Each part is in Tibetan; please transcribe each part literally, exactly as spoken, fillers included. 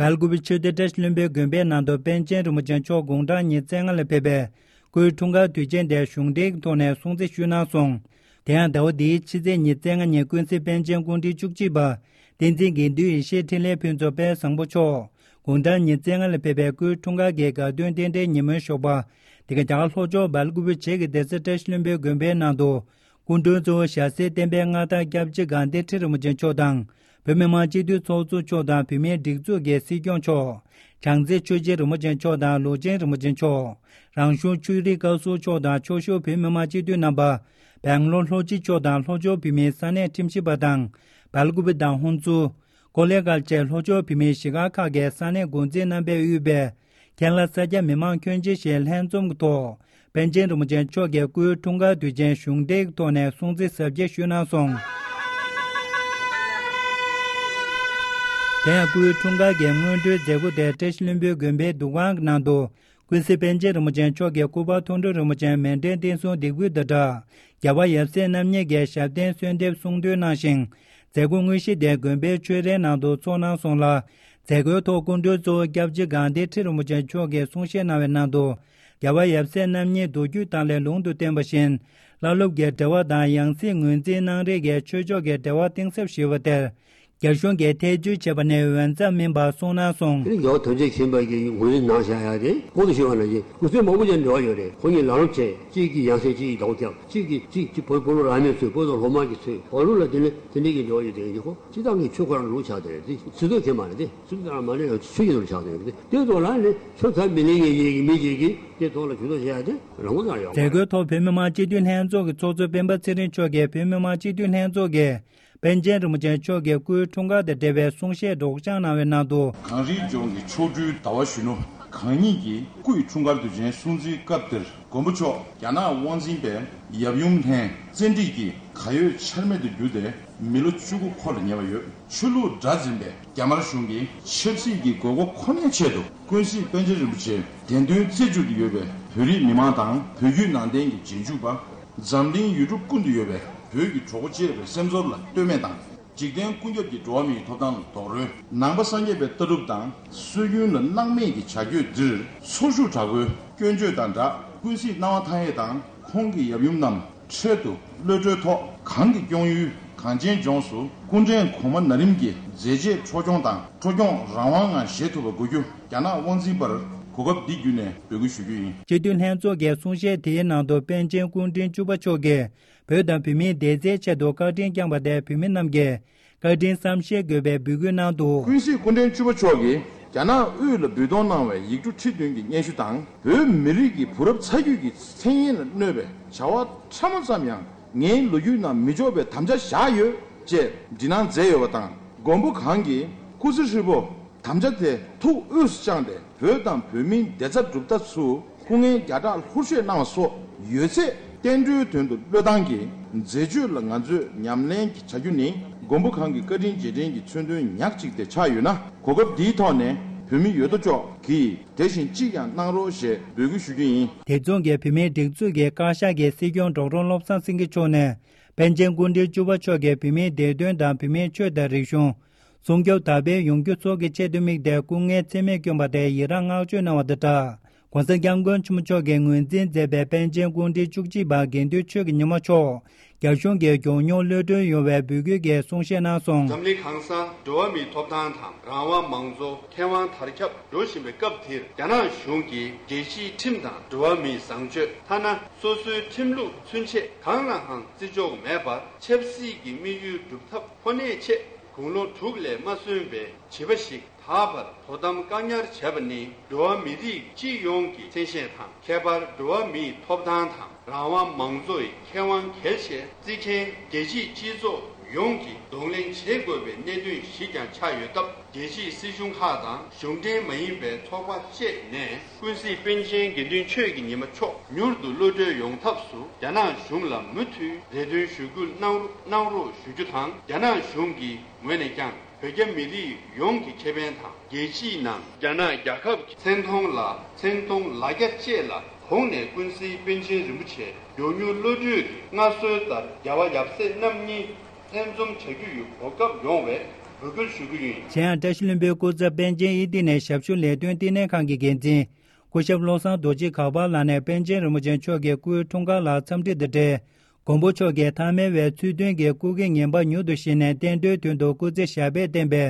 སྦེལ་ཀོབ་ཆོས་སྡེ་བཀྲ་ཤིས་ལྷུན་པོའི་དགོན་པའི་ནང་དུ་པཎ་ཆེན་རིན་པོ་ཆེ་མཆོག་དགུང་གྲངས་ཉེར་ལྔ་ལ་ཕེབས་པའི་སྐུའི་འཁྲུངས་སྐར་དུས་ཆེན་དེ་གཞུང་འབྲེལ་གྱི་ཐོག་ནས་སྲུང་བརྩི་ཞུས་གནང་སོང་། དེ་ཡང་ཟླ་བ་འདིའི་ཕྱི་ཚེས་ཉེར་ལྔ་ཉིན་ཀུན་གཟིགས་པཎ་ཆེན་སྐུ་ཕྲེང་བཅུ་གཅིག་པ་བསྟན་འཛིན་དགེ་འདུན་ཡེ་ཤེས་འཕྲིན་ལས་ཕུན་ཚོགས་དཔལ་བཟང་པོ་མཆོག་དགུང་གྲངས་ཉེར་ལྔ་ལ་ཕེབས་པའི་སྐུའི་འཁྲུངས་སྐར་གྱི་དགའ་སྟོན་རྟེན་འབྲེལ་ཉིན་མོའི་ཞོགས་པ། དེ་ག་རྒྱ་གར་ལྷོ་ཕྱོགས་སྦེལ་ཀོབ་བྱེས་ཀྱི་སྡེ་སྲིད་བཀྲ་ཤིས་ལྷུན་པོའི་དགོན་པའི་ནང་དུ། སྐུ་མགྲོན་གཙོ་བོ་ཞྭ་སེར་བསྟན་པའི་མངའ་བདག་སྐྱབས་རྗེ་དགའ་ལྡན་ཁྲི་རིན་པོ་ཆེ་མཆོག་དང་། བོད་མི་མང་སྤྱི་འཐུས་ཚོགས་གཙོ་མཆོག་དང་བོད་མིའི་སྒྲིག་འཛུགས་ཀྱི་སྲིད་སྐྱོང་མཆོག་བྱང་རྩེ་ཆོས་རྗེ་རིན་པོ་ཆེ་མཆོག་དང་ལོ་ཆེན་རིན་པོ་ཆེ་མཆོག་རང་གཞུང་ཆོས་རིག་བཀའ་ཟུར་མཆོག་དང་ཆོས་ཞུ་བོད་མི་མང་སྤྱི་འཐུས་རྣམ་པ། སྦེང་ལོར་ལྷོ་སྤྱི་མཆོག་དང་ལྷོ་ཕྱོགས་བོད་མིའི་ས་གནས་ཁྲིམས་ཞིབ་པ་དང་། སྦེལ་ཀོབ་དང་ཧུན་སུར། ཀོ་ལེ་གྷལ་བཅས་ལྷོ་ཕྱོགས་བོད་མིའི་གཞིས་སྒར་ཁག་གི་ས་གནས་འགོ་འཛིན་རྣམ་པས་དབུས་པའི། ཁེ་ལ་ས་སྐྱ་མི་མང་ཁྱོན་ཆེ་ཞིག་ལྷན་འཛོམས་ཀྱི་ཐོག་པཎ་ཆེན་རིན་པོ་ཆེ་མཆོག་གི་སྐུའི་འཁྲུངས་སྐར་དུས་ཆེན་གཞུང་འབྲེལ་གྱི་ཐོག་ནས་སྲུང་བརྩི་གཟབ་རྒྱས་ཞུས་གནང་སོང་། དེ་ཡང་སྐུའི་འཁྲུངས་སྐར་གྱི་སྔོན་འགྲོའི་མཛད་སྒོ་དེ་བཀྲ་ཤིས་ལྷུན་པོའི་དགོན་པའི་འདུ་ཁང་གི་ནང་དུ། ཀུན་གཟིགས་པཎ་ཆེན་རིན་པོ་ཆེ་མཆོག་གི་སྐུ་པར་མཐོང་གྲོལ་རིན་པོ་ཆེ་མཎྜལ་རྟེན་གསུམ་འདེགས་འབུལ་དང་སྦྲགས། རྒྱལ་བ་ཡབ་སྲས་རྣམ་གཉིས་ཀྱི་ཞབས་བརྟན་གསོལ་འདེབས་གསུང་འདོན་གནང་ཞིང་། མཛད་སྒོ་དངོས་གཞི་དེ་དགོན་པའི་ཆོས་རའི་ནང་དུ་ཚོགས་གནང་སོང་ལ། མཛད་སྒོའི་ཐོག་སྐུ་མགྲོན་གཙོ་བོ་སྐྱབས་རྗེ་དགའ་ལྡན་ཁྲི་རིན་པོ་ཆེ་མཆོག་གིས་གསུང་བཤད་གནང་བའི་ནང་དུ། རྒྱལ་བ་ཡབ་སྲས་རྣམ་གཉིས་མདོ་རྒྱུད་དག་ལས་ལུང་དུ་བསྟན་པ་བཞིན། བླ་སློབ་ཀྱི་འབྲེལ་བ་དང་ཡང་སྲིད་ངོས་འཛིན་གནང་རེས་ཀྱི་ཆོས་ཕྱོགས་ཀྱི་འབྲེལ་བ་གཏིང་ཟབ་ཞུས་པ་དེར། རྒྱ་གཞུང་གིས་ཐེ་བྱུས་བྱས་པ་ནི་འོས་འཚམ་མིན་པ་གསུངས་གནང་སོང་། དེ་ནི་རྒྱལ་བ་ཐམས་ཅད་མཁྱེན་པ་གིས་ངོས་འཛིན་གནང་བཞག་ཡ་དེ་གོང་དུ་ཞུས་པ་ནང་བཞིན་སྐུ་ཚེ་མང་པོ་ཅིག་འབྲེལ་བ་ཡོད་རེད། ཁོང་གཉིས་ལམ་རིམ་བྱས། གཅིག་གིས་ཡང་སྲིད་གཅིག་གིས་ཟླ་བ་ཁྱབ། གཅིག་གིས་གཅིག་གཅིག་བོད་བོད་ལུགས་རང་མོས་ཚུལ། བོད་དང་སློབ་མ་གི་ཚུལ། བོད་ལུགས་ལ་དེ་ནི་དེ་འདྲའི་གི་འབྲེལ་བ་ཡོད་དེ་ཡིན་གྱི། ཁོ་སྤྱི་བཏང་གི་ཆོས་ཁོ་རང་ལུགས་ཆགས་དེ་རེད་དེ། སྲིད་དོན་དེ་མ་རེད་དེ། སྲིད་དོན་མ་རེད་ཡང་ཆོས་ཀྱི་ལུགས་ཆགས་དེ་རེད་དེ། དེ་ཐོག་ལ་ནི་ཆོས་ཚབ་མི་ལེན་མཁན་ཡིན་གྱི་མི་ཅིག་གིས་དེ་ཐོག་ལ་ཇུས་གཏོགས་བྱེད་ཡ་དེ་རང་དབང་ཡོད་མ་རེད། མཛད་སྒོའི་ཐོག་བོད་མི་མང་སྤྱི་འཐུས་ལྷན་ཚོགས་ཀྱི་ཚོགས་གཙོ་སྤེན་པ་ཚེ་རིང་མཆོག་གིས་བོད་མི་མང་སྤྱི་འཐུས་ལྷན་ཚོགས་ཀྱི། པཎ་ཆེན་རིན་པོ་ཆེ་མཆོག་གི་སྐུའི་འཁྲུངས་སྐར་དང་འབྲེལ་བའི་གསུང་བཤད་སྒྲོག་སྦྱང་གནང་བའི་ནང་དུ། གངས་རིའི་ལྗོངས་ཀྱི་མཆོག་སྤྲུལ་ཟླ་བ་གཞོན་ནུ་གང་ཉིད་ཀྱི་སྐུའི་འཁྲུངས་སྐར་དུས་ཆེན་སྲུང་བརྩིའི་སྐབས་དེར། མགོན་པོ་མཆོག་རྒྱ་ནག་དབང་འཛིན་པའི་ཡབ་ཡུམ་ལྷན་བཙན་ཁྲིད་ཀྱིས་གར་ཡོད་ཆར་མེད་དུ་གྱུར་ཏེ་མི་ལོ་བཅུ་དགུ་འཁོར་ལ་ཉེ་བ་ཡོད། ཆོས་ལུགས་དགྲར་འཛིན་པའི་རྒྱ་དམར་གཞུང་གིས་ཆབ་སྲིད་ཀྱི་དགོས་མཁོ་ཁོ་ནའི་ཆེད་དུ་ཀུན་གཟིགས་པཎ་ཆེན་རིན་པོ་ཆེ་བདེན་དོན་རྩད་གཅོད་དུ་ཡོད་པའི་བོད་རིགས་མི་མང་དང་བོད་བརྒྱུད་ནང་བསྟན་གྱི་རྗེས་འཇུག་པ། འཛམ་གླིང་ཡུལ་གྲུ་ཀུན་ཏུ་ཡོད་པའི་བོད་ཀྱི་གྲོགས་པོ་བཅས་པའི་སེམས་ཚོར་ལ་ལྟོས་མེད་དང་། འཇིག་རྟེན་ཀུན་ཁྱབ་ཀྱི་འགྲོ་བ་མིའི་ཐོབ་ཐང་ལ་རྡོག་རོལ། ནང་པ་སངས་རྒྱས་པའི་ལྟ་གྲུབ་དང་སྲོལ་རྒྱུན་ལ་སྣང་མེད་ཀྱི་བྱ་སྤྱོད་འདིར་ཚོར་ཤུགས་དྲག་པོའི་སྐྱོན་བརྗོད་དང་སྦྲགས། ཀུན་གཟིགས་སྣང་བ་མཐའ་ཡས་དང་ཁོང་གི་ཡབ་ཡུམ་རྣམས་འཕྲལ་དུ་གློད་བཀྲོལ་ཐོག་གང་གི་སྐྱོང་ཡུལ་གངས་ཅན་ལྗོངས་སུ་སྐུ་ཕྲེང་གོང་མ་ན་རིམ་གྱི་མཛད་རྗེས་འཕྲོ་སྐྱོང་དང་འཕྲོ་སྐྱོང་རང་དབང་ངང་བཞེས་ཐུབ་པ་དགོས་རྒྱུ། རྒྱ་ནག་དབང་འཛིན་པར་གོ་སྐབས་འདི་བརྒྱུད་ནས་འབོད་སྐུལ་ཞུ་རྒྱུ་ཡིན། སྤྱི་འཐུས་ལྷན་ཚོགས་ཀྱི་གསུང་བཤད་དེའི་ནང་དུ་པཎ་ཆེན་སྐུ་ཕྲེང་བཅུ་པ་མཆོག་གིས་བོད་དང་བོད་མིའི་བདེ་རྩའི་ཆེད་དུ་བཀའ་དྲིན་བསྐྱངས་པ་དེ་བོད་མི་རྣམས་ཀྱིས་བཀའ་དྲིན་བསམ་ཤེས་དགོས་པའི་འབོད་སྐུལ་གནང་འདུག། ཀུན་གཟིགས་སྐུ་ཕྲེང་བཅུ་པ་མཆོག་གིས་རྒྱ་ནག་དབུས་ལ་འབུལ་གཏོང་གནང་བའི་ཡིག་འབྲུ་ཁྲི་བདུན་གྱི་སྙན་ཞུ་དང་། བོད་མི་རིགས་ཀྱི་བུ་རབས་ཚ་རྒྱུད་ཀྱི་མཚན་སྙན་ལ་གནོད་པའི་བྱ་བ་ཕྲ་མོ་ཙམ་ཡང་ངའི་ལོ་རྒྱུས་ནང་མི་འཇོག་པའི་དམ་བཅའ་བཞག་ཡོད་ཅེས་འབྲི་གནང་མཛད་ཡོད་པ་དང་། མགོན་པོ་གང་གིས་སྐུ་ཚེ་ཧྲིལ་པོ་དམ་བཅའ་དེ་ཐུགས་དབུས་སུ་བཅངས་ཏེ། བོད་དང་བོད་མིའི་བདེ་རྩ་སྒྲུབ་ཐབས་སུ་སྐུ་ངལ་བརྒྱ་ཕྲག་ལྷུར་བཞེས་གནང་བ་སོགས་ཡོད་ཚད་བསྟན་འགྲོའི་དོན་དུ་བློས་བཏང་གིས་མཛད་སྤྱོད་ལ་ང་ཚོས་ཉམས་ལེན་བྱ་རྒྱུ་ནི། མགོན་པོ་གང་གི་བཀའ་དྲིན་རྗེས་དྲན་གྱི་མཚོན་དོན་ཉག་གཅིག་དེ་ཆགས་ཡོད་ན། གོ་སྐབས་འདིའི་ཐོག་ནས་བོད་མི་ཡོད་དོ་ཅོག་གིས་དེ་བཞིན་ཅིས་ཀྱང་གནང་རོགས་ཞེས་འབོད་སྐུལ་ཞུ་རྒྱུ་ཡིན། དེ་མཚུངས་ཀྱི་བོད་མིའི་སྒྲིག་འཛུགས་ཀྱི་བཀའ་ཤག་གི་སྲིད་སྐྱོང་ཌོག་ཊར་བློ་བཟང་སེང་གེ་མཆོག་ནས། པཎ་ཆེན་སྐུ་ཕྲེང་བཅུ་པ་མཆོག་གིས་བོད་མིའི་བདེ་དོན་དང་བོད་མིའི་ཆོས་དང་རིག་གཞུང་། སྲུང་སྐྱོབ་དར་སྤེལ་ཡོང་རྒྱུ་སོགས་ཀྱི་ཆེད་དུ་དམིགས་ཏེ་སྐུ་ངལ་ཚད་མེད་བསྐྱོན་པ་དེར་ཡི་རངས་བསྔགས་བརྗོད་གནང་བ་དང་སྦྲགས། ༸གོང་ས་༸སྐྱབས་མགོན་ཆེན་པོ་མཆོག་གིས་ངོས་འཛིན་མཛད་པའི་པཎ་ཆེན་སྐུ་ཕྲེང་བཅུ་གཅིག་པ་དགེ་འདུན་ཆོས་ཀྱི་ཉི་མ་མཆོག་རྒྱ་གཞུང་གིས་མགྱོགས་མྱུར་གློད་གྲོལ་ཡོང་བའི་འབོད་སྐུལ་གྱི་གསུང་བཤད་གནང་སོང་། འཛམ་གླིང་གང་སར་འགྲོ་བ་མིའི་ཐོབ་ཐང་དང་རང་དབང་། མང་གཙོ། ཁེ་དབང་དར་ཁྱབ་འགྲོ་བཞིན་པའི་སྐབས་འདིར། རྒྱ་ནག་གཞུང་གིས་རྒྱལ་སྤྱིའི་ཁྲིམས་དང་འགྲོ་བ་མིའི་བཟང་སྤྱོད། ཐ་ན་སོ་སོའི་ཁྲིམས་ལུགས་ཚུན་ཆད་གང་ལའང་བརྩི་འཇོག་མེད་པར། ཆབ་སྲིད་ཀྱི་དམིགས་ཡུལ་སྒྲུབ་ཐབས་ཁོ་ནའི་ཆེད། དགུང་ལོ་དྲུག་ལས་མ་སོན་པའི་བྱིས་པ་ཞིག་ད་བར་དོ་དམ་བཀག་ཉར་བྱས་པ་ནི། འགྲོ་བ་མི་རིགས་སྤྱི་ཡོངས་ཀྱི་མཚན་ཤས་དང་། ཁྱད་པར་འགྲོ་བ་མིའི་ཐོབ་ཐང་དང་རང་དབང་། མང་གཙོ་ཡི་ཁེ་དབང་གལ་ཆེ་བརྩི་མཁན་རྒྱལ་སྤྱིའི་སྤྱི་ཚོགས་ཡོངས་ཀྱིས་གདོང་ལེན་བྱེད་དགོས་པའི་གནད་དོན་ཞིག་ཀྱང་ཆགས་ཡོད་སྟབས། རྒྱལ་སྤྱིའི་སྲིད་གཞུང་ཁག་དང་གཞུང་འབྲེལ་མ་ཡིན་པའི་ཚོགས་པ་བཅས་ནས། ཀུན་གཟིགས་པཎ་ཆེན་དགེ་འདུན་ཆོས་ཀྱི་ཉི་མ་མཆོག་མྱུར་དུ་གློད་གྲོལ་ཡོང་ཐབས་སུ། རྒྱ་ནག་གཞུང་ལ་མུ་མཐུད་རེ་འདུན་ཞུ་སྐུལ་གནང་རོགས་གནང་རོགས་ཞུ་རྒྱུ་དང་། རྒྱ་ནག་གཞུང་གི་ངོས་ནས་ཀྱང་བོད་རྒྱ་མི་རིགས་ཡོངས་ཀྱི་ཁེ་ཕན་དང་། རྒྱལ་སྤྱིའི་ནང་རྒྱ་ནག་རྒྱལ་ཁབ་ཀྱི་མཚན་མཐོང་ལ། མཚན་མཐོང་ལ་རྒྱ་བཅས་ལ་དགོངས་ནས། ཀུན་གཟིགས་པཎ་ཆེན་རིན་པོ་ཆེ་མགྱོགས་མྱུར་གློད་གྲོལ་གྱི་མངའ་གསོལ་ལྟར། རྒྱལ་བ་ཡབ་སྲས་རྣམ་གཉིས་ལྷན་འཛོམས་བྱ་རྒྱུ་ཡི་གོ་སྐབས་ཡོང་བས། འབོད་སྐུལ་ཞུ་རྒྱུ་ཡིན། གཞན་ཡང་བཀྲ་ཤིས་ལྷུན་པོའི་སྐུ་ཚབ་པཎ་ཆེན་ཨི་ཏི་ནས་ཞབས་ཞུ་ལས་དོན་བསྟི་གནས་ཁང་གི་འགན་འཛིན་སྐུ་ཞབས་བློ་བཟང་རྡོ་རྗེ་གག་པ་ལགས་ནས་པཎ་ཆེན་རིན་པོ་ཆེ་མཆོག་གི་སྐུའི་འཁྲུངས་སྐར་ལ་འཚམས་འདྲི་དང་འབྲེལ། མགོན་པོ་མཆོག་གིས་ཐ་མལ་བའི་ཚུལ་སྟོན་གྱི་སྐུ་གེགས་ངན་པ་མྱུར་དུ་ཞི་ནས་བསྟན་འགྲོའི་དོན་དུ་སྐུ་ཚེ་ཞབས་པད་བརྟན་པའི་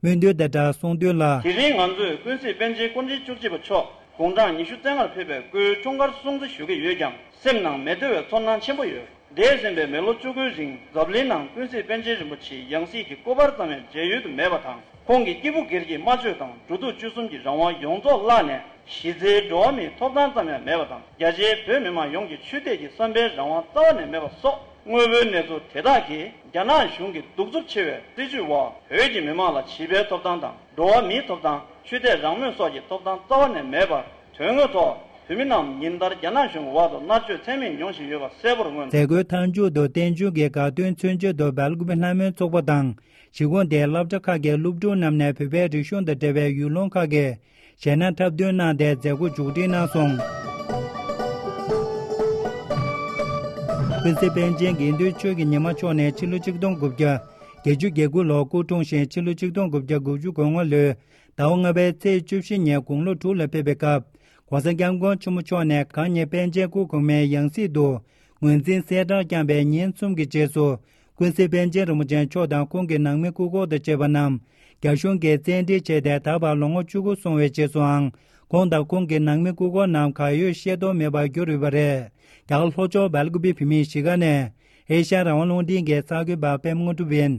སྨོན་འདུན་དང་སྦྲགས་གསུངས་དོན་ལ། དེ་རིང་ང་ཚོས་ཀུན་གཟིགས་པཎ་ཆེན་སྐུ་ཕྲེང་བཅུ་གཅིག་པ་མཆོག་དགུང་གྲངས་ཉི་ཤུ་རྩ་ལྔར་ཕེབས་པའི་སྐུའི་འཁྲུངས་སྐར་སྲུང་བརྩི་ཞུ་གི་ཡོད་ཀྱང་། སེམས་ནང་མི་བདེ་བའི་ཚོར་སྣང་ཆེན་པོ་ཡོད། འདས་ཟིན་པའི་མི་ལོ་བཅུ་དགུའི་རིང་འཛམ་གླིང་ནང་ཀུན་གཟིགས་པཎ་ཆེན་རིན་པོ་ཆེའི་ཡང་སྲིད་ཀྱི་སྐུ་པར་ཙམ་ཡང་མཇལ་ཡུལ་དུ་མེད་པ་དང་། ཁོང་གི་སྐྱེས་བུ་སྒེར་གྱི་སྨྲ་བརྗོད་དང་འགྲོ་འདུག་སྤྱོད་གསུམ་གྱི་རང་དབང་ཡོངས་རྫོགས་བརླག་ནས། གཞི་རྩའི་འགྲོ་བ་མིའི་ཐོབ་ཐང་ཙམ་ཡང་མེད་པ་དང་། རྒྱ་ཆེའི་བོད་མི་མང་ཡོངས་ཀྱི་ཆོས་དད་ཀྱི་བསམ་པའི་རང་དབང་རྩ་བ་ནས་མེད་པ་སོགས། དངོས་པོའི་གནས་ཚུལ་དེ་དག་གིས་རྒྱ་ནག་གཞུང་གི་གདུག་རྩུབ་ཆེ་བའི་སྲིད་བྱུས་འོག་བོད་ཀྱི་མི་མང་ལ་བྱིས་པའི་ཐོབ་ཐང་དང་། འགྲོ་བ་མིའི་ཐོབ་ཐང་། ཆོས་དད་རང་མོས་སོགས་ཀྱི་ཐོབ་ཐང་རྩ་བ་ནས་མེད་པར། དོན་དངོས་ཐོག་བོད་མི་རྣམས་ཉིན་ལྟར་རྒྱ་ནག་གཞུང་གི་འོག་ཏུ་མནར་གཅོད་ཚད་མེད་མྱོང་བཞིན་ཡོད་པ་གསལ་པོར་མངོན། མཛད་སྒོའི་མཐའ་མཇུག་ཏུ་བསྟན་འགྱུར་གྱི་དགའ་སྟོན་མཚོན་ཆེད་དུ་སྦེལ་ཀོབ་ལྷ་མོའི་ཚོགས་པ་དང་གཞིས་ཁོངས་དེའི་སློབ་གྲྭ་ཁག་གི་སློབ་ཕྲུག་རྣམས་ནས་བོད་པའི་རིག་གཞུང་དང་འབྲེལ་བའི་ཡུལ་ལུང་ཁག་གི་གཞས་སྣ་འཁྲབ་སྟོན་གནང་སྟེ་མཛད་སྒོ་མཇུག་སྒྲིལ་གནང་སོང་། ཀུན་གཟིགས་པཎ་ཆེན་དགེ་འདུན་ཆོས་ཀྱི་ཉི་མ་མཆོག་ནས་ཕྱི་ལོ་ཆིག་སྟོང་དགུ་བརྒྱ་བརྒྱད་ཅུ་གྱ་དགུ་ལོར་སྐུ་འཁྲུངས་ཤིང་། ཕྱི་ལོ་ཆིག་སྟོང་དགུ་བརྒྱ་དགུ་བཅུ་གོ་ལྔ་ལོའི་ཟླ་བ་ལྔ་པའི་ཚེས་བཅུ་བཞི་ཉིན་དགུང་ལོ་དྲུག་ལ་ཕེབས་པའི་སྐབས། ༸གོང་ས་༸སྐྱབས་མགོན་ཆེན་པོ་མཆོག་ནས་གང་ཉིད་པཎ་ཆེན་སྐུ་གོང་མའི་ཡང་སྲིད་དུ་ངོས་འཛིན་གསལ་བསྒྲགས་བསྐྱངས་པའི་ཉིན་གསུམ་གྱི་རྗེས་སུ། ཀུན་གཟིགས་པཎ་ཆེན་རིན་པོ་ཆེ་མཆོག་དང་ཁོང་གི་ནང་མི་སྐུ་འཁོར་དང་བཅས་པ་རྣམས་རྒྱ་གཞུང་གིས་བཙན་ཁྲིད་བྱས་ཏེ། ད་བར་ལོ་ངོ་བཅུ་དགུ་སོང་བའི་རྗེས་སུའང་། ཁོང་དང་ཁོང་གི་ནང་མི་སྐུ་འཁོར་རྣམས་གར་ཡོད་ཤེས་རྟོགས་མེད་པར་གྱུར་ཡོད་པ་རེད། རྒྱ་གར་ལྷོ་ཕྱོགས་སྦེལ་ཀོབ་བོད་མིའི་གཞིས་ཀ་ནས་ཨེ་ཤ་ཡ་རང་དབང་རླུང་འཕྲིན་གྱི་གསར་འགོད་པ་པད་མ་དངོས་གྲུབ་ཡིན།